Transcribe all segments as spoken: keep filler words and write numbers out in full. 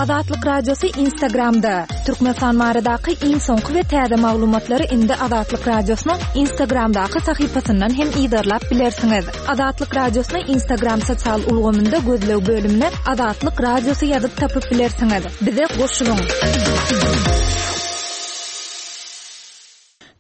Azatlyk Radiosy Instagramda. Türkmenistan baradaky iň soňky we täze maglumatlary indi Azatlyk Radiosynyň Instagramdaky sahypasyndan hem yzarlap bilersiňiz. Azatlyk Radiosyny Instagram sosial ulgamynda gözleg bölümine Azatlyk Radiosy ýazyp tapyp bilersiňiz. Bize goşulyň.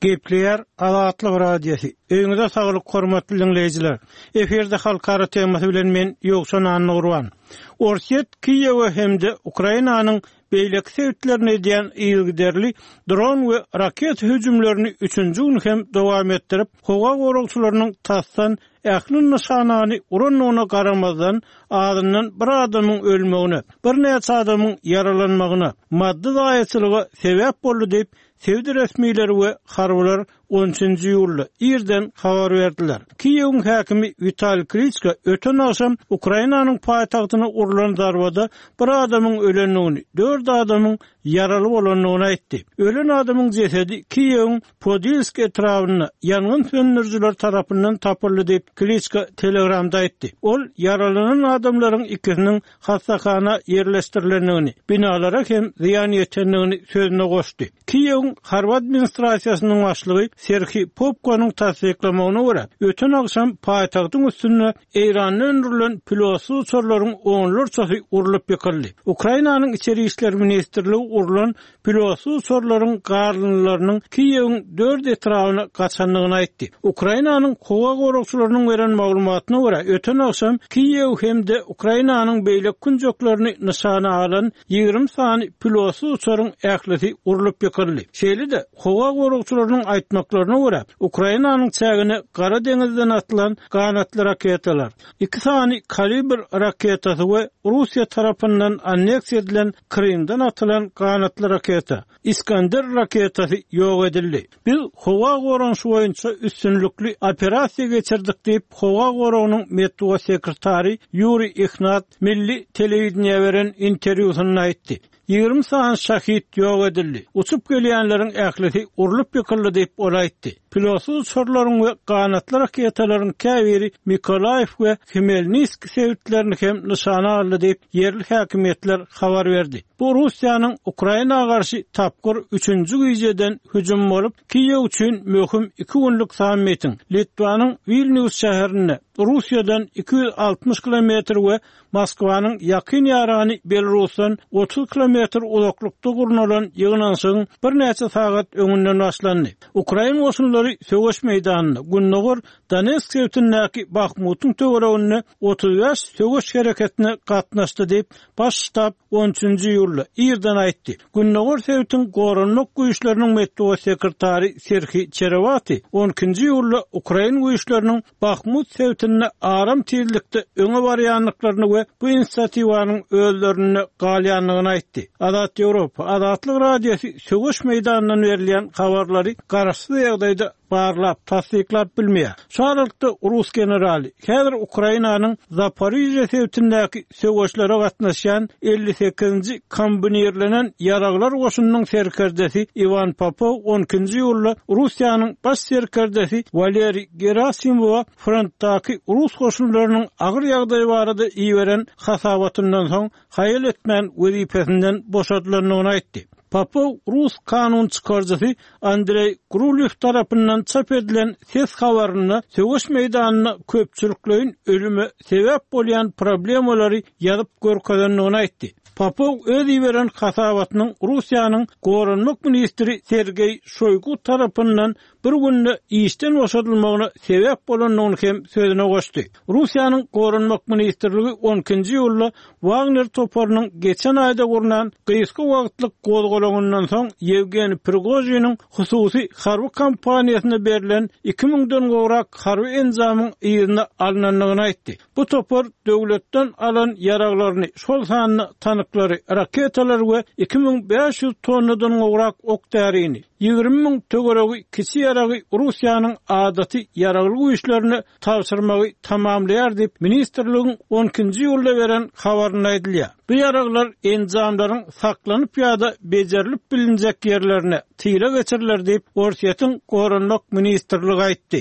Gepleýär Azatlyk Radiosy. Öýüňize saglyk hormatly diňleýjiler. Efirde halkara temasy bilen men Ýowşan Annagurban. Orsýet Kiýewe hem-de Ukrainanyň beýleki sebitlerine edýän yzygiderli dron we raketa hüjümlerini üçünji gün hem dowam etdirip, howa goragçylarynyň tasdan ähli nyşanany urandygyna garamazdan, azyndan bir adamyň ölmegine, birnäçe adamyň ýaralanmagyna, maddy zaýaçylyga sebäp boldy diýip, sebit resmileri we harbylar on üçünji iýulda irden habar berdiler. Kiýewiň häkimi Witaliý Kliçko öten agşam Ukrainanyň paýtagtyna urlan zarbada bir adamyň ölendigini, dört adamyň ýaraly bolandygyny aýtdy. Ölen adamyň jesedi Kiýewiň Podilsk etrabynda ýangyn söndürijiler tarapyndan tapyldy diýip, Kliçko Telegramda aýtdy. Ol ýaralanan adamlaryň ikisiniň hassahana ýerleşdirilendigini, binalara hem zyýan ýetendigini sözüne goşdy. Kiýewiň harby administrasiýasynyň başlygy Serhiý Popkonyň tassyklamagyna görä, öten agşam paýtagtyň üstünde Eýranda öndürilen pilotsyz uçarlaryň onlarçasy urlup ýykyldy. Ukrainanyň Içeri işler ministrligi urlan pilotsyz uçarlaryň galyndylarynyň Kiýewiň dört etrabyna gaçandygyny aýtdy. Ukrainanyň howa goragçylarynyň beren maglumatyna görä, öten agşam Kiýew hem-de Ukrainanyň beýleki künjeklerini nyşana alan ýigrimi sany pilotsyz uçaryň ählisi urlup ýykyldy. Şeýle-de, howa goragçylarynyň aýtmaklaryna görä, Ukrainanyň çägine Gara deňizden atylan ganatly raketalar, iki sany Kalibr raketasy we Russiýa tarapyndan anneksiýa edilen Krymdan atylan ganatly raketa, Iskander raketasy ýok edildi. Biz howa goranyşy boýunça üstünlikli operasiýa geçirdik diýip, howa goragynyň metbugat sekretary Ýuriý Ihnat milli telewideniýä beren interwýusynda aýtdy. Ýigrimi sany şahid ýok edildi. Uçup gelýänleriň ählisi urlup ýykyldy diýip, ol aýtdy. Pilotsyz uçarlaryň we ganatly raketalaryň käbiri Mykolaýiw we Hmelniskiý sebitlerini hem nyşana aldy diýip, ýerli häkimiýetler habar berdi. Bu Russiýanyň Ukraina garşy tapgyr üçünji gijeden hüjümi bolup, Kiýew üçin möhüm iki günlük sammitiň Litwanyň Wilnýus şäherinde, Russiýadan iki ýüz altmyş kilometr we Moskwanyň ýakyn ýarany Belarusdan otuz kilometr uzaklykda gurnalan ýygnanyşygyň birnäçe sagat öňünden başlandy. Ukrain goşunlary söweş meýdanynda, gündogar Donetsk sebitindäki Bahmutyň töwereginde otuz bäş söweş hereketine gatnaşdy diýip, Baş ştab on üçünji iýulda irden aýtdy. Gündogar sebitiň goranmak güýçleriniň metbugat sekretary Serhiý Çerewati on ikinji iýulda ukrain güýçleriniň Bahmut sebitinde aram tizlikde öňe barýandyklaryny we bu inisiatiwanyň özlerinde galýandygyny aýtdy. Azat Ýewropa, Azatlyk Radiosy söweş meýdanyndan berilýän habarlary garaşsyz ýagdaýda barlap, tassyklap bilmeýär. Şu aralykda rus generaly, häzir Ukrainanyň Zaporižýa sebitindäki söweşlere gatnaşýan elli sekizinji kombinirlenen ýaraglar goşunynyň serkerdesi Iwan Popow on ikinji iýulda Russiýanyň baş serkerdesi Waleriý Gerasimowa frontdaky rus goşunlarynyň agyr ýagdaýy barada iberen hasabatyndan soň haýal etmän wezipesinden boşadylandygyny aýtdy. Popow rus kanun çykaryjysy Andreý Grulýow tarapyndan çap edilen ses habarynda söweş meýdanynda köpçülikleýin ölüme sebäp bolýan problemalary ýazyp görkezendigini aýtdy. Popow öz iberen hasabatynyň Russiýanyň goranmak ministri Sergeý Şoýgu tarapyndan bir günde işden boşadylmagyna sebäp bolandygyny hem sözüne goşdy. Russiýanyň Goranmak ministrligi on ikinji iýulda Wagner toparynyň geçen aýda gurnan gysga wagtlyk gozgalaňyndan soň Ýewgeniý Prigožiniň hususy harby kompaniýasyna berlen iki müňden gowrak harby enjamyň yzyna alnandygyny aýtdy. Bu topar döwletden alan ýaraglaryny, şol sanda tanklary, raketalary we iki müň bäş ýüz tonnadan gowrak ok-därini, ýigrimi müň töweregi kiçi ýaragy Russiýanyň adaty ýaragly güýçlerine tabşyrmagy tamamlaýar diýip, ministrligiň on ikinji iýulda beren habarynda aýdylýar. Bu ýaraglar enjamlaryň saklanyp ýa-da bejerilip bilinjek ýerlerine tyla geçiriler diýip, Orsýetiň Goranmak ministrligi aýtdy.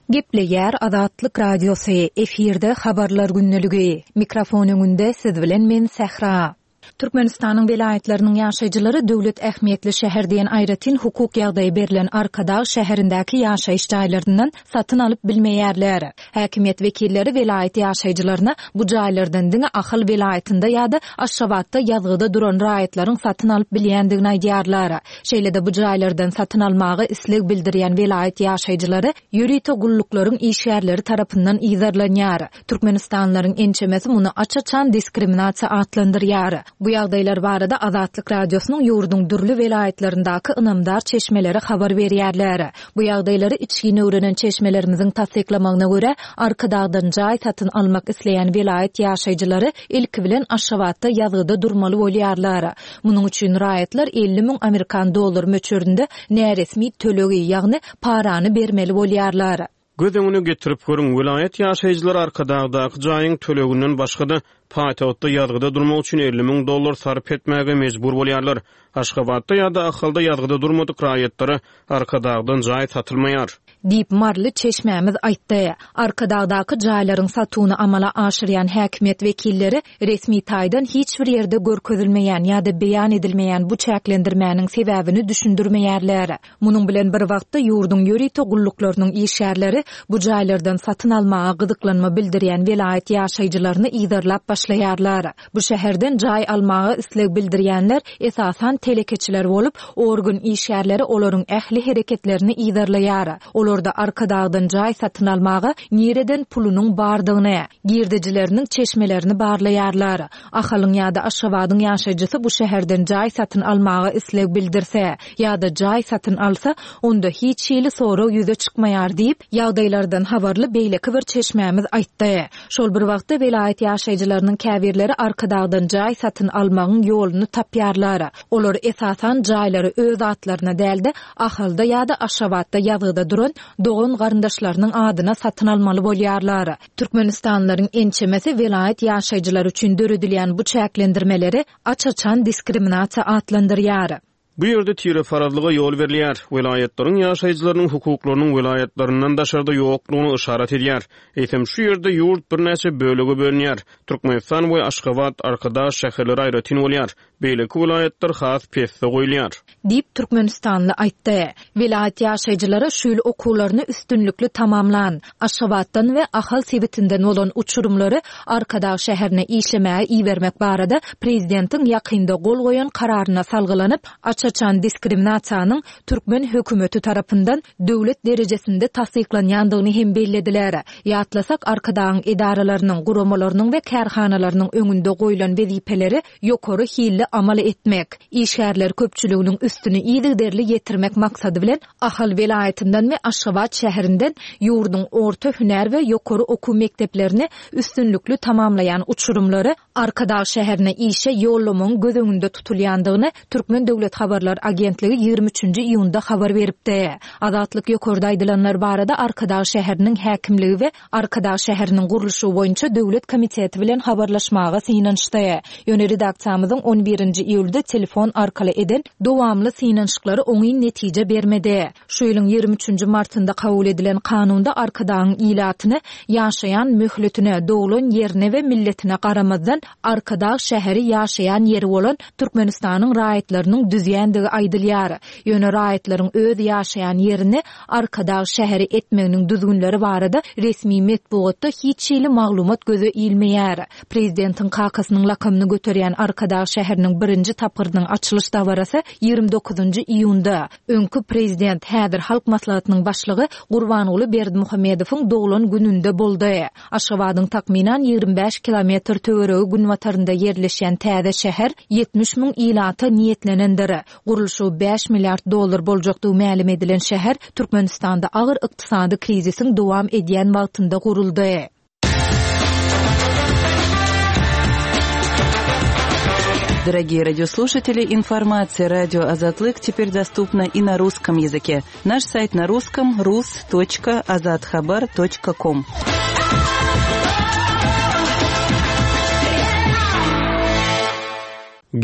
Gepleýär Azatlyk Radiosy, efirde habarlar gündeligi. Mikrofon öňünde siz bilen men Sähra. Türkmenistanyň welaýatlarynyň ýaşaýjylary döwlet ähmiýetli şäher diýen aýratyn hukuk ýagdaýy berlen Arkadag şäherindäki ýaşaýyş jaýlaryndan satyn alyp bilmeýärler. Häkimiýet wekilleri welaýat ýaşaýjylaryna bu jaýlardan diňe Ahal welaýatynda ýa-da Aşgabatda ýazgyda duran raýatlaryň satyn alyp bilýändigini aýdýarlar. Şeýle-de bu jaýlardan satyn almaga isleg bildirýän welaýat ýaşaýjylary ýörite gulluklaryň işgärleri tarapyndan yzarlanýar. Türkmenistanlylaryň ençemesi muny aç-açan diskriminasiýa atlandyrýar. Bu ýagdaýlar barada Azatlyk Radiosynyň ýurduň dürli welaýatlaryndaky ynamdar çeşmeleri habar berýärler. Bu ýagdaýlary içgin öwrenen çeşmelerimiziň tassyklamagyna görä, Arkadagdan jaý satyn almak isleýän welaýat ýaşaýjylary ilki bilen Aşgabatda ýazgyda durmaly bolýarlar. Munuň üçin raýatlar elli müň amerikan dollar möçberinde näresmi tölegi, ýagny parany bermeli bolýarlar. Göz öňüne getirip görüň, welaýat ýaşaýjylary Arkadagdaky jaýyň töleginden başga-da paýtagtda ýazgyda durmak üçin elli müň dollar sarp etmäge mejbur bolýarlar. Aşgabatda ýa-da Ahalda ýazgyda durmadyk raýatlara Arkadagdan jaý satylmaýar. Diýip Marly çeşmämiz aýtdy. Arkadagdaky jaýlaryň satuwyny amala aşyrýan häkimiýet wekilleri resmi taýdan hiç bir ýerde görkezilmeýän ýa-da beýan edilmeýän bu çäklendirmäniň sebäbini düşündirmeýärler. Munuň bilen bir wagtda ýurduň ýörite gulluklarynyň işgärleri bu jaýlardan satyn almaga gyzyklanma bildirýän welaýat ýaşaýjylaryny yzarlap başlaýarlar. Bu şäherden jaý almaga isleg bildirýänler esasan telekeçiler bolup, organ işgärleri olaryň ähli hereketlerini yzarlaýar. Olarda Arkadagdan jaý satyn almaga nireden pulunyň bardygyny, girdejileriniň çeşmelerini barlaýarlar. Ahalyň ýa-da Aşgabadyň ýaşaýjysy bu şäherden jaý satyn almaga isleg bildirse ýa-da jaý satyn alsa, onda hiç hili sorag ýüze çykmaýar diýip, ýagdaýlardan habarly beýleki bir çeşmämiz aýtdy. Şol bir wagtda welaýat ýaşaýjylarynyň käbirleri Arkadagdan jaý satyn almagyň ýoluny tapýarlar. Olar esasan jaýlary öz atlaryna däl-de, Ahalda ýa-da Aşgabatda ýazgyda duran dogan garyndaşlarynyň adyna satyn almaly bolýarlar. Türkmenistanlylaryň ençemesi welaýat ýaşaýjylary üçin döredilýän bu çäklendirmeleri aç-açan diskriminasiýa atlandyrýar. Bu ýerde tireparazlyga ýol berilýär. Welaýatlaryň ýaşaýjylarynyň hukuklarynyň welaýatlaryndan daşarda ýoklugyny yşarat edýär. Eýsem şu ýerde ýurt birnäçe bölege bölünýär. Türkmenistan we Aşgabat, Arkadag şäherleri aýratyn bolýar. Beýleki welaýatlar has pesde goýulýar. Diýip Türkmenistanly aýtdy. Welaýat ýaşaýjylary şu ýyl okuwlaryny üstünlikli tamamlan, Aşgabatdan we Ahal sebitinden bolan uçurymlary Arkadag şäherine işlemäge ibermek barada prezidentiň ýakynda gol goýan kararyna salgylanyp, aç-açan diskriminasiýanyň türkmen hökümeti tarapyndan döwlet derejesinde tassyklanýandygyny hem bellediler. Ýatlasak, Arkadagyň edaralarynyň, guramalarynyň we kärhanalarynyň öňünde goýlan wezipeleri ýokary hilli amal etmek, işgärler köpçüliginiň üstüni yzygiderli ýetirmek maksady bilen Ahal welaýatyndan we Aşgabat şäherinden ýurduň orta hünär we ýokary okuw mekdeplerini üstünlikli tamamlaýan uçurymlary Arkadag şäherine işe ýollamagyň göz öňünde tutulýandygyny Türkmen Döwlet Habarlar Agentligi ýigrimi üçünji iýunda habar beripdi. Azatlyk ýokarda aýdylanlar barada Arkadag şäheriniň häkimligi we Arkadag şäheriniň gurluşygy boýunça döwlet komiteti bilen habarlaşmaga synanyşdy. Ýöne redaksiýamyzyň on birinji iýulda telefon arkaly eden dowamly synanyşyklary oňyn netije bermedi. Şu ýylyň ýigrimi üçünji martynda kabul edilen kanunda Arkadagyň ilatyny ýaşaýan möhletine, doglan ýerine we milletine garamazdan Arkadag şäheri ýaşaýan ýeri bolan Türkmenistanyň raýatlarynyň düzýändigi aýdylýar. Ýöne raýatlaryň öz ýaşaýan ýerini Arkadag şäheri etmeginiň düzgünleri barada resmi metbugatda hiç hili maglumat göze ilmeýär. Prezidentiň kakasynyň lakamyny göterýän Arkadag şäheriniň birinji tapgyrynyň açylyş dabarasy ýigrimi dokuzynjy iýunda öňki prezident häzir Halk Maslahatynyň başlygy Gurbanguly Berdimuhamedowyň doglan gününde boldy. Aşgabadyň takmynan ýigrimi bäş kilometr töweregi günbatarynda ýerleşýän täze şäher ýetmiş müň ilata niýetlenendir. Gurluşygy bäş milliard dollar boljakdygy mälim edilen şäher Türkmenistanda agyr ykdysady krizisiň dowam edýän wagtynda guruldy. Дорогие радиослушатели, информация радио Азатлык теперь доступна и на русском языке. Наш сайт на русском рус точка азатхабар точка ком.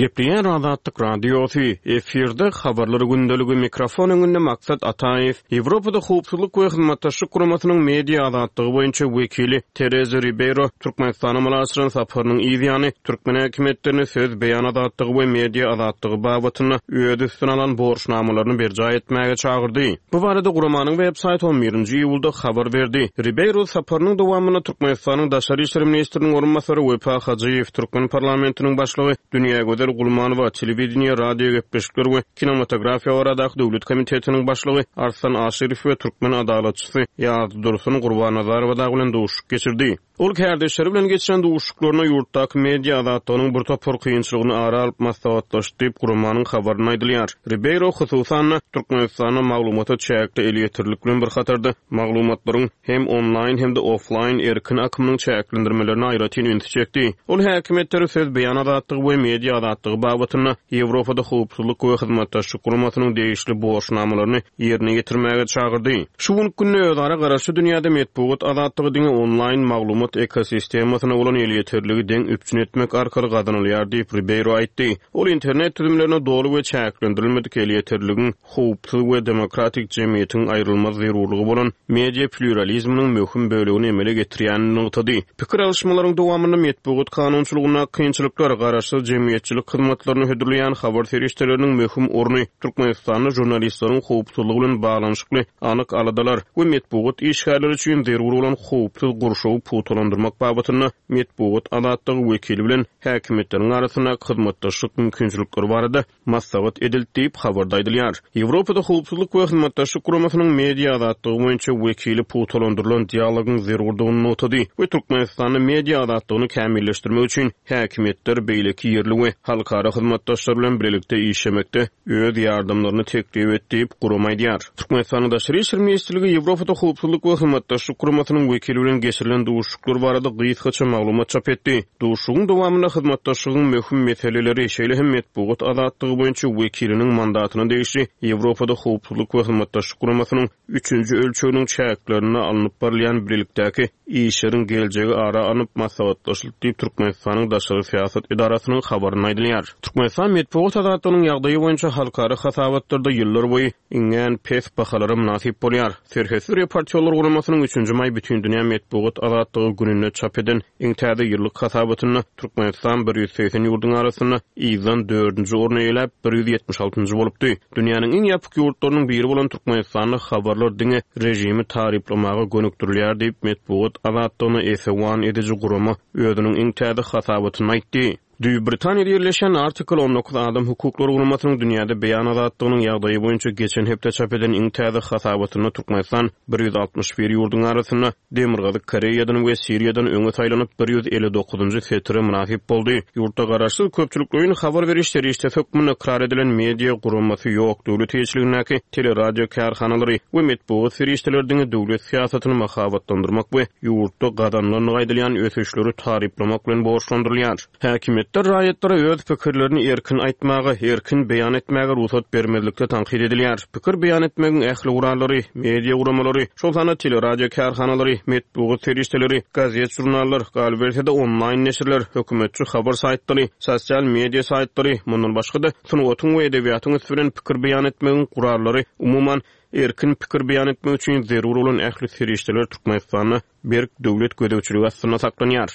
Gepleýär Azatlyk Radiosy, efirde habarlar gündeligi mikrofon öňünde Maksat Ataýew, Ýewropada howpsuzlyk we hyzmatdaşlyk guramasynyň media azatlygy boýunça wekili Tereza Ribeiro Türkmenistana amala aşyran saparynyň ýany türkmen häkimiýetlerini söz beýan azatlygy we media azatlygy babatynda öz üstüne alan borçnamalaryny berjaý etmäge çagyrdy. Bu barada guramanyň web saýty on birinji iýulda habar berdi. Ribeiro saparynyň dowamynda Türkmenistanyň Daşary işler ministriniň orunbasary Wepa Hajyýew, Türkmen parlamentiniň başlygy Dünýägözel Gulmanowa, telewideniýe, radio gepleşikler we kinematografiýa baradaky döwlet komitetiniň başlygy Arslan Aşyrow we türkmen adalatçysy Ýazdursun Gurbannazarowa dagy bilen duşuşyk geçirdi. Ol kärdeşleri bilen geçiren duşuşyklaryna ýurtdaky media azatlygynyň bir topar kynçylygyny ara alyp maslahatlaşdy diýip guramanyň habarynda aýdylýar. Ribeiro hususan Türkmenistanda maglumata çäkli elýeterlilik bilen bir hatarda maglumatlaryň hem onlaýn hem-de offlaýn erkin akymynyň çäklendirmelerine aýratyn ünsi çekdi. Ol häkimiýetleri söz beýan azatlygy we media azatlygy babatynda Ýewropada howpsuzlyk we hyzmatdaşlyk guramasynyň degişli borçnamalaryny ýerine ýetirmäge çagyrdy. Şu günki günde özara garaşly dünýäde metbugat azatlygy diňe onlaýn maglumat ekosistemasyna bolan elýeterligi deň üpjün etmek arkaly gazanylýar diýip Ribeiro aýtdy. Ol internet düzümlerine doly we çäklendirilmedik elýeterligiň howpsuz we demokratik jemgyýetiň aýrylmaz zerurlygy bolan media pluralizminiň möhüm bölegini emele getirýänini nygtady. Pikir alyşmalaryň dowamynda metbugat kanunçylygynda kynçylyklar, garaşsyz jemgyýetçilik hyzmatlaryny hödürleýän habar serişdeleriniň möhüm orny, Türkmenistanda žurnalistleriň howpsuzlygy bilen baglanyşykly anyk aladalar we metbugat işgärleri üçin zerur bolan howpsuz gurşawy pugtalandyrmak babatynda metbugat azatlygy wekili bilen häkimiýetleriň arasynda hyzmatdaşlyk mümkinçilikleri barada maslahat edildi diýip habarda aýdylýar. Ýewropada howpsuzlyk we hyzmatdaşlyk guramasynyň media azatlygy boýunça wekili pugtalandyrylan dialogyň zerurdygyny nygtady we Türkmenistanda media azatlygyny kämilleşdirmek üçin häkimiýetler beýleki ýerli we halkara hyzmatdaşlar bilen birlikde işlemekde öz ýardamlaryny teklip etdi diýip gurama aýdýar. Türkmenistanyň Daşary işler ministrligi Ýewropada howpsuzlyk we hyzmatdaşlyk guramasynyň wekili bilen geçirilen duşuşyklar barada gysgaça maglumat çap etdi. Duşuşygyň dowamynda hyzmatdaşlygyň möhüm meseleleri, şeýle hem metbugat azatlygy boýunça wekiliniň mandatyna degişli Ýewropada howpsuzlyk we hyzmatdaşlyk guramasynyň üçünji ölçeginiň çäklerinde alnyp barylýan birlikdäki işleriň geljegi ara alnyp maslahatlaşyldy diýip Türkmenistanyň Daşary syýasat edarasynyň habarynda aýdylýar. Türkmenistan metbugat azatlygynyň ýagdaýy boýunça halkara hasabatlarda ýyllar boýy iňňän pes bahalara mynasyp bolýar. Serhetsiz reportýorlar guramasynyň üçünji maý Bütindünýä metbugat azatlygy gününde çap eden iň täze ýyllyk hasabatynda Türkmenistan bir ýüz segsen ýurduň arasynda ýylan dördünji orny eýeläp bir ýüz ýetmiş altynjy bolupdy. Dünýäniň iň ýapyk ýurtlarynyň biri bolan Türkmenistanda habarlar diňe režimi taryplamaga gönükdirilýär diýip metbugat azatlygyna esewan ediji gurama özüniň iň täze hasabatyny aýtdy. Düýp Britaniýada ýerleşen Article on dokuz adam hukuklary guramasynyň dünýäde beýan azatlygynyň ýagdaýy boýunça geçen hepde çap eden iň täze hasabatynda Türkmenistan bir ýüz altmyş bir ýurduň arasynda Demirgazyk Koreýadan we Siriýadan öňe saýlanyp bir ýüz elli dokuzynjy setire mynasyp boldy. Ýurtda garaşsyz köpçülikleýin habar beriş serişdesi hökmünde ykrar edilen media guramasy ýok. Döwlet eýeçiligindäki teleradio kärhanalary we metbugat serişdeleri diňe döwlet syýasatyny mahabatlandyrmak we ýurtda gazanylandygy aýdylýan ösüşleri taryplamak bilen borçlandyrylýar. Häkimiýetler raýatlara öz pikirlerini erkin aýtmaga, erkin beýan etmäge rugsat bermezlikde tankyt edilýär. Pikir beýan etmegiň ähli gurallary, media guramalary, şol sanda teleradio kärhanalary, metbugat serişdeleri, gazet, žurnallar, galyberse-de onlaýn neşirler, hökümetçi habar saýtlary, sosial media saýtlary, mundan başga-da sungatyň we edebiýatyň üsti bilen pikir beýan etmegiň gurallary, umuman erkin pikir beýan etmek üçin zerur bolan ähli serişdeler Türkmenistanda berk döwlet gözegçiligi astynda saklanýar.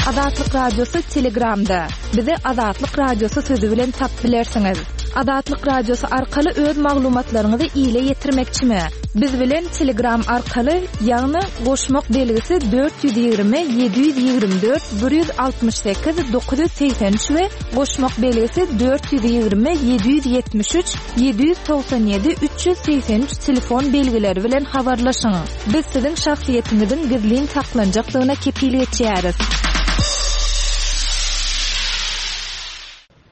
Azatlyk Radiosy Telegramda. Bizi Azatlyk Radiosy sözü bilen tap bilersiňiz. Azatlyk Radiosy arkaly öz maglumatlaryňyzy ile ýetirmekçimi? Biz bilen Telegram arkaly, ýagny goşmak belgisi dört ýüz ýigrimi, ýedi ýüz ýigrimi dört, bir ýüz altmyş sekiz, dokuz ýüz segsen üç we goşmak belgisi dört ýüz ýigrimi, ýedi ýüz ýetmiş üç, ýedi ýüz togsan ýedi, üç ýüz segsen üç telefon belgileri bilen habarlaşyň. Biz siziň şahsyýetiňiziň gizlin saklanjakdygyna kepil geçýäris.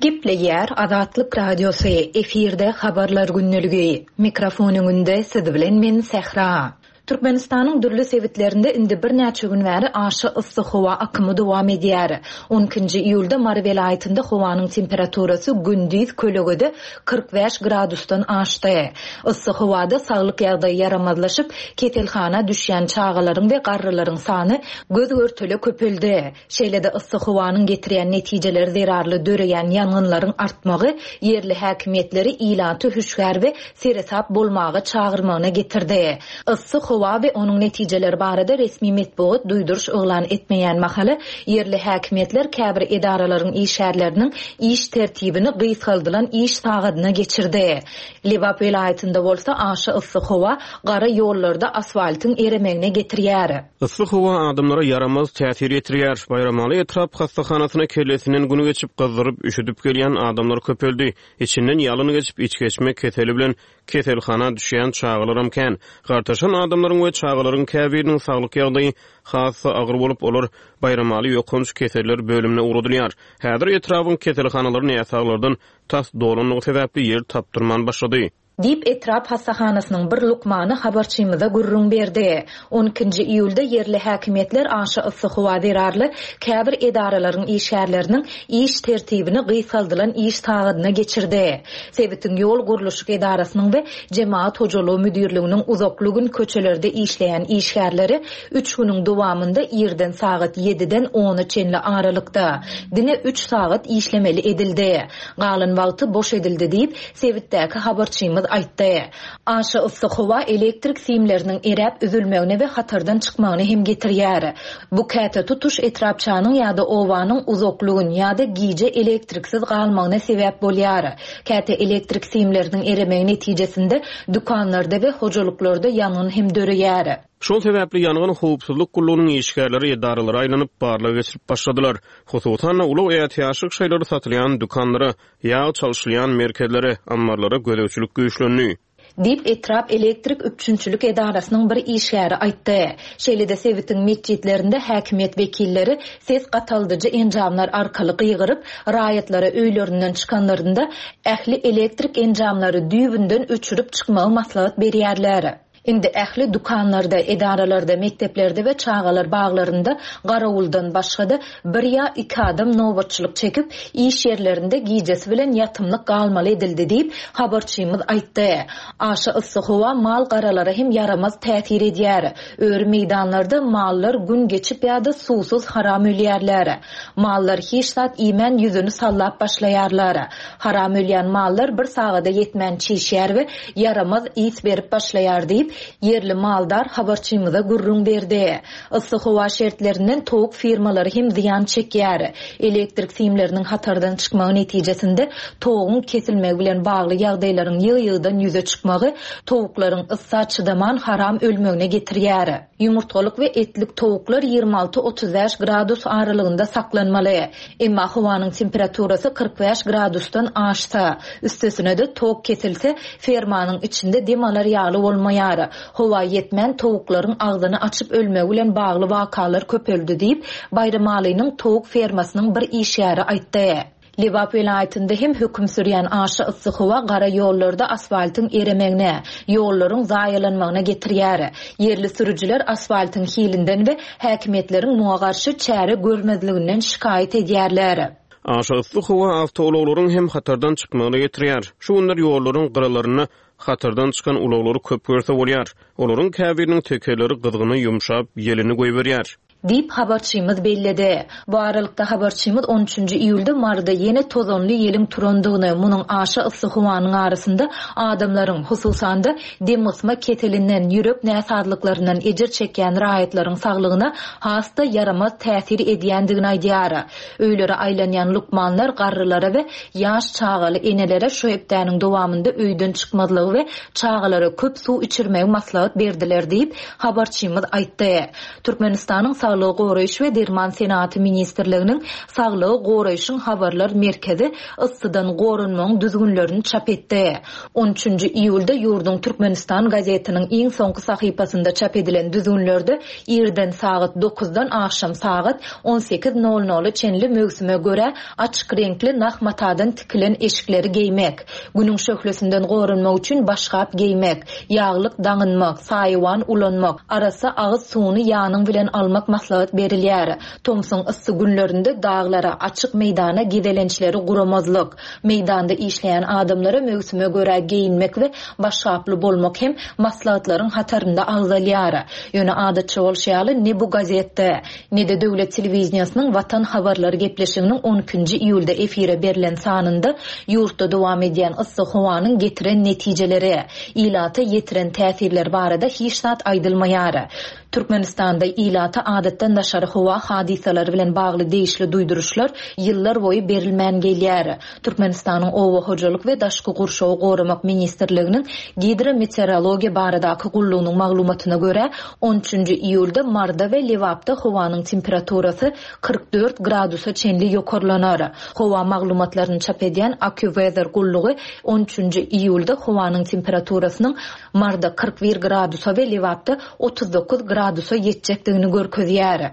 Gepleýär Azatlyk Radiosy, efirde habarlar gündeligi. Mikrofon öňünde siz bilen men Sähra. Türkmenistanyň dürli sebitlerinde indi birnäçe gün bäri aşa yssy howa akymy dowam edýär. On ikinji iýulda Mary welaýatynda howanyň temperaturasy gündiz kölegede kyrk bäş gradusdan aşdy. Yssy howada saglyk ýagdaýy ýaramazlaşyp, keselhana düşýän çagalaryň we garrylaryň sany göz görtele köpeldi. Şeýle-de yssy howanyň getirýän netijeleri zerarly döreýän ýangynlaryň artmagy ýerli häkimiýetleri ilaty hüşgär we seresap bolmaga çagyrmagyna getirdi. Yssy howa we onuň netijeleri barada resmi metbugat duýduryş yglan etmeýän mahaly ýerli häkimiýetler käbir edaralaryň işgärleriniň iş tertibini gysgaldylan iş sagadyna geçirdi. Lebap welaýatynda bolsa aşa yssy howa gara ýollarda asfaltyň eremegine getirýär. Yssy howa adamlara ýaramaz täsir ýetirýär. Baýramaly etrap hassahanasyna kellesinden güni geçip gyzdyryp üşüdüp gelýän adamlar köpeldi. Içinden ýalyn geçip iç geçme keseli bilen keselhana düşýän çagalaram kän. Gartaşan adamlaryň we çagalaryň käbiriniň saglyk ýagdaýy has-da agyr bolup, olar Baýramaly ýokanç keseller bölümine ugradylýar. Häzir etrabın keselhanalary näsaglardan tas dolanlygy sebäpli ýer tapdyrman başlady. Diýip etrap hassahanasynyň bir lukmany habarçymyza gürrüň berdi. On ikinji iýulda ýerli häkimiýetler aşa yssy howa zerarly käbir edaralaryň işgärleriniň iş tertibini gysgaldylan iş sagadyna geçirdi. Sebitiň ýol gurluşyk edarasynyň we Jemaat hojalygy müdirliginiň uzakly gün köçelerde işleýän işgärleri üç günüň dowamynda irden sagat ýediden ona çenli aralykda diňe üç sagat işlemeli edildi. Galan wagty boş edildi diýip sebitdäki habarçymyz aýtdy. Aşa yssy howa elektrik simleriniň eräp üzülmegine we hatardan çykmagyny hem getirýär. Bu käte tutuş etrapçanyň ýa-da owanyň uzakly gün ýa-da gije elektriksiz galmagyna sebäp bolýar. Käte elektrik simleriniň eremegi netijesinde dükanlarda we hojalyklarda ýangyn hem döreýär. Şol sebäpli ýangyn howpsuzlyk gullugynyň işgärleri edaralara aýlanyp barlag geçirip başladylar. Hususan-da ulag ätiýaçlyk şaýlary satylýan dükanlara, ýag çalşylýan merkezlere, ammarlara gözegçilik güýçlendi. Diýip etrap elektrik üpjünçilik edarasynyň bir işgäri aýtdy. Şeýle-de sebitiň metjitlerinde häkimiýet wekilleri ses gataldyjy enjamlar arkaly gygyryp, raýatlara öýlerinden çykanlarynda ähli elektrik enjamlary düýbünden öçürip çykmagy maslahat berýärler. Indi ähli dükanlarda, edaralarda, mekdeplerde we çagalar baglarynda garawuldan başga-da bir ýa iki adam nobatçylyk çekip, iş ýerlerinde gijesi bilen ýatymlyk galmaly edildi diýip habarçymyz aýtdy. Aşa yssy howa mal garalara hem ýaramaz täsir edýär. Öri meýdanlarda mallar gün geçip ýa-da suwsuz haram ölýärler. Mallar hiç zat iýmän ýüzüni sallap başlaýarlar. Haram ölýän mallar bir sagada ýetmän çişýär we ýaramaz is berip başlaýar diýip ýerli maldar habarçymyza gürrüň berdi. Yssy howa şertlerinden towuk firmalary hem zyýan çekýär. Elektrik simleriniň hatardan çykmagy netijesinde towugyň kesilmegi bilen bagly ýagdaýlaryň ýygy-ýygydan ýüze çykmagy towuklaryň yssa çydaman haram ölmegine getirýär. Ýumurtgalyk we etlik towuklar ýigrimi alty otuz bäş gradus aralygynda saklanmaly. Emma howanyň temperaturasy kyrk bäş gradusdan aşsa, üstesine-de tok kesilse, fermanyň içinde dem alar ýaly bolmaýar. Howa ýetmän towuklaryň agzyny açyp ölmegi bilen bagly wakalar köpeldi diýip, Baýramalynyň towuk fermasynyň bir işgäri aýtdy. Lebap welaýatynda hem höküm sürýän aşa yssy howa gara ýollarda asfaltyň eremegine, ýollaryň zaýalanmagyna getirýär. Ýerli sürüjiler asfaltyň hilinden we häkimiýetleriň muňa garşy çäre görmezliginden şikaýat edýärler. Aşa yssy howa awtoulaglaryň hem hatardan çykmagyna getirýär. Şu günler ýollaryň gyralarynda hatardan çykan ulaglary köp görse bolýar. Olaryň käbiriniň tekerleri gyzgyny ýumşap, ýelini goýberýär. Diýip habarçymyz belledi. Bu aralykda habarçymyz on üçünji iýulda Maryda ýene tozanly ýeliň turandygyny, munuň aşa yssy howanyň arasynda adamlaryň, hususan-da dem gysma keselinden, ýürek näsazlyklaryndan ejir çekýän raýatlaryň saglygyna has-da ýaramaz täsir edýändigini aýdýar. Öýlere aýlanýan lukmanlar garrylara we ýaş çagaly enelere şu hepdäniň dowamynda öýden çykmazlygy we çagalara köp suw içirmegi maslahat berdiler diýip habarçymyz aýtdy. Türkmenistanyň Saglygy goraýyş we derman senagaty ministrliginiň Saglygy goraýşyň habarlar merkezi yssydan goranmagyň düzgünlerini çap etdi. On üçünji iýulda ýurduň Türkmenistan gazetiniň iň soňky sahypasynda çap edilen düzgünlerde irden sagat dokuzdan agşam sagat on sekiz nol nola çenli möwsüme görä açyk reňkli nah matadan tikilen eşikleri geýmek, günüň şöhlesinden goranmak üçin başgap geýmek, ýaglyk daňynmak, saýawan ulanmak, arassa agyz suwuny ýanyň bilen almak maslahat berilýär. Tomsuň yssy günlerinde daglara, açyk meýdana gezelençleri guramazlyk, meýdanda işleýän adamlara möwsüme görä geýinmek we başgaply bolmak hem maslahatlaryň hatarynda agzalýar. Ýöne adatça bolşy ýaly ne bu gazetde, ne de döwlet telewizýasynyň Watan habarlary gepleşiginiň on ikinji iýulda efire berlen sanynda ýurtda dowam edýän yssy howanyň getiren netijeleri, ilata ýetiren täsirler barada hiç zat aýdylmaýar. Türkmenistanda ilata adatdan daşary howa hadysalary bilen bagly degişli duýduryşlar ýyllar boýy berilmän gelýär. Türkmenistanyň Oba hojalyk we daşky gurşawy goramak ministrliginiň gidrometeorologiýa baradaky gullugynyň maglumatyna görä on üçünji iýulda Marda we Lebapda howanyň temperaturasy kyrk dört gradusa çenli ýokarlanar. Howa maglumatlaryny çap edýän AccuWeather gullugy on üçünji iýulda howanyň temperaturasynyň Marda kyrk bir gradusa we Lebapda otuz dokuz gradusa ýetjekdigini görkezýär.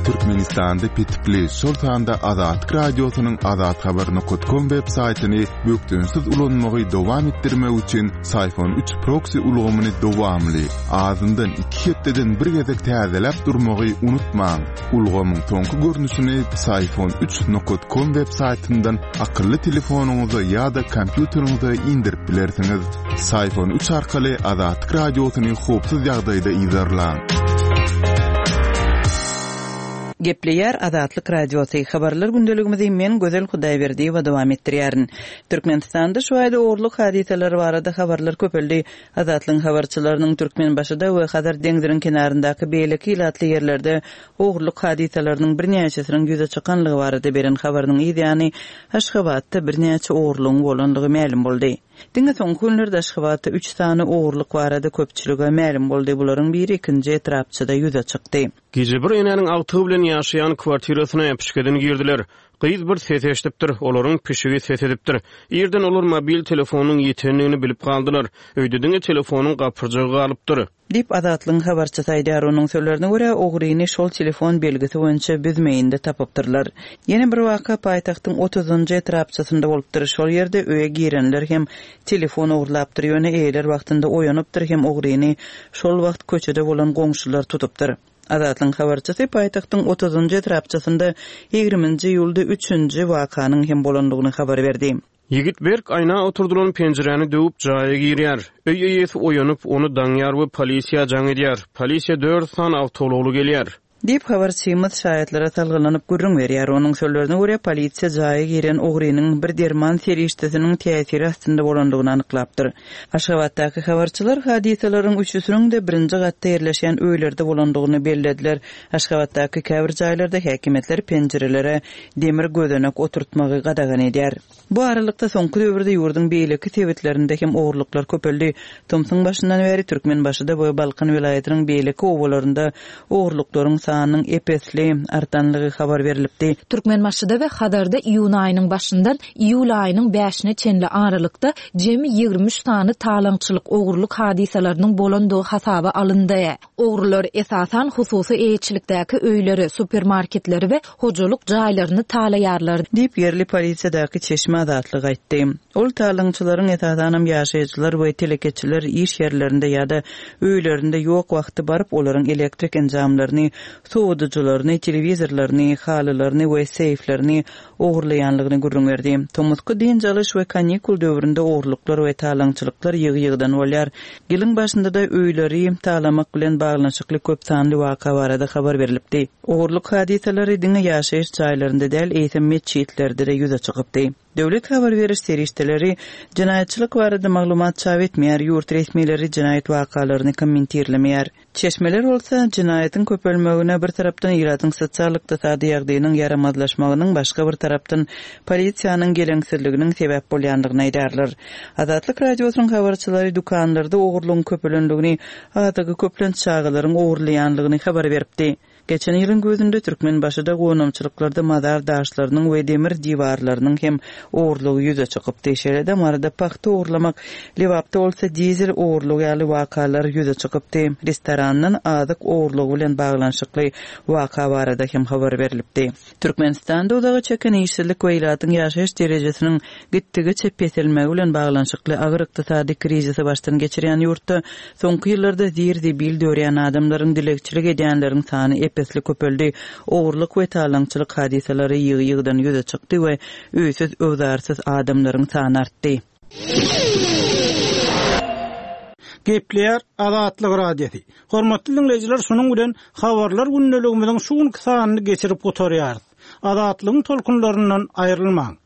Türkmenistanda petikli, şol sanda Azatlyk Radiosynyň azathabar nokta com web saýtyny bökdençsiz ulanmagy dowam etdirmek üçin Syfon üç proxy ulgamyny dowamly, azyndan iki hepdeden bir gezek täzeläp durmagy unutmaň. Ulgamyň soňky görnüşini Syfon üç nokta com web saýtyndan akylly telefonyňyza ýa-da kompýuteriňize indirip bilersiňiz. Syfon üç arkaly Azatlyk Radiosyny howpsuz ýagdaýda yzarlaň. Gepleýär Azatlyk Radiosy. Habarlar gündeligimizi men Gözel Hudaýberdiýewa dowam etdirýärin. Türkmenistanda şu aýda ogurlyk hadysalary barada habarlar köpeldi. Azatlygyň habarçylarynyň Türkmenbaşyda we Hazar deňziniň kenaryndaky beýleki ilatly ýerlerde ogurlyk hadysalarynyň birnäçesiniň ýüze çykanlygy barada beren habarynyň ýany Aşgabatda birnäçe ogurlygyň bolanlygy mälim boldy. Diňe soňky günlerde Aşgabatda üç sany ogurlyk barada köpçülige mälim boldy. Bularyň biri ikinji etrapçada ýüze çykdy. Gije bir enäniň agtygy bilen ýaşaýan kwartirasyna äpişgeden girdiler. Gyz bir ses eşidipdir, olaryň pişigi ses edipdir. Irden olar mobil telefonyň ýetendigini bilip galdylar. Öýde diňe telefonyň gapyrjagy galypdyr. Diýip Azatlygyň habarçysy aýdar. Onuň sözlerine görä ogryny şol telefon belgisi boýunça büzmeýinde tapypdyrlar. Ýene bir waka paýtagtyň otuzunjy etrapçasynda bolupdyr. Şol ýerde öýe girenler hem telefon ogurlapdyr. Ýöne eýeler wagtynda oýanypdyr hem ogryny şol wagt köçede bolan goňşular tutupdyr. Azatlygyň habarçysy paýtagtyň otuzunjy etrapçasynda ýigriminji iýulda üçünji wakanyň hem bolandygyny habar berdi. Ýigit berk aýna oturdylan penjiräni döwüp jaýa girýär. Öý eýesi oýanyp, ony daňýar we polisiýa jaň edýär. Polisiýa dört sany awtoulagly gelýär. Diýip habarçymyz şaýatlara salgylanyp gürrüň berýär. Onuň sözlerine görä polisiýa jaýa giren ogrynyň bir derman serişdesiniň täsiri astynda bolandygyny anyklapdyr. Aşgabatdaky habarçylar hadysalaryň üçüsiniň de birinji gatda ýerleşen öýlerde bolandygyny bellediler. Aşgabatdaky käbir jaýlarda häkimiýetler penjirelere demir gözenek oturtmagy gadagan edýär. Bu aralykda soňky döwürde ýurduň beýleki sebitlerinde hem ogurlyklar köpeldi. Tomsuň başyndan bäri Türkmenbaşyda we Balkan welaýatynyň beýleki obalarynda ogurlyklaryň sanynyň epesli artanlygy habar berilipdi. Türkmenbaşyda we Hazarda iýun aýynyň başyndan iýul aýynyň bäşine çenli aralykda jemi ýigrimi üç sany talaňçylyk ogurlyk hadysalarynyň bolandygy hasaba alyndy. Ogrular esasan hususy eýeçilikdäki öýleri, supermarketleri we hojalyk jaýlaryny talaýarlar diýip ýerli polisiýadaky çeşme Azatlyk aýtdy. Ol talaňçylaryň esasanam ýaşaýjylar we telekeçiler iş ýerlerinde ýa-da öýlerinde ýok wagty baryp olaryň elektrik enjamlaryny, sowadyjylaryny, telewizorlaryny, halylaryny we seýflerini ogurlaýanlygyny gürrüň berdi. Tomusky dynç alyş we kanikul döwründe ogurlyklar we talaňçylyklar ýygy-ýygydan bolýar. Ýylyň başynda da öýleri talamak bilen baglanyşykly köp sanly waka barada habar berilipdi. Ogurlyk hadysalary diňe ýaşaýyş jaýlarynda däl, eýsem metjitlerde de ýüze çykypdy. Döwlet habar beriş serişdeleri jenaýatçylyk barada maglumat çap etmeýär, ýurt resmileri jenaýat wakalaryny kommentirlemeýär. Çeşmeler bolsa, jenaýatyň köpelmegine bir tarapdan ilatyň sosial-ykdysady ýagdaýynyň ýaramazlaşmagynyň, başga bir tarapdan polisiýanyň geleňsizliginiň sebäp bolýandygyny aýdarlar. Azatlyk Radiosynyň habarçylary dükanlarda ogurlygyň köpelendigini, azygy köplenç çagalaryň ogurlaýanlygyny habar beripdi. Geçen ýylyň güýzünde Türkmenbaşyda gonamçylyklarda mazar daşlarynyň we demir diwarlarynyň hem ogurlygy ýüze çykypdy. Şeýle-de Maryda pagta ogurlamak, Lebapda bolsa dizel ogurlygy ýaly wakalar ýüze çykypdy. Restorandan azyk ogurlygy bilen baglanyşykly waka barada hem habar berlipdi. Türkmenistanda uzaga çeken işsizlik we ilatyň ýaşaýyş derejesiniň gitdigiçe peselmegi bilen baglanyşykly agyr ykdysady krizisi başdan geçirýän ýurtda soňky ýyllarda zir-zibil dörýän adamlaryň, dilegçilik edýänleriň sany ep-esli köpeldi, ogurlyk we talaňçylyk hadysalary ýygy-ýygydan ýüze çykdy we öýsüz-öwzarsyz adamlaryň sany artdy. Gepleýär Azatlyk Radiosy. Hormatly diňleýjiler, şunuň bilen habarlar gündeligimiziň şu günki sanyny geçirip gutarýarys. Azatlygyň tolkunlaryndan aýrylmaň.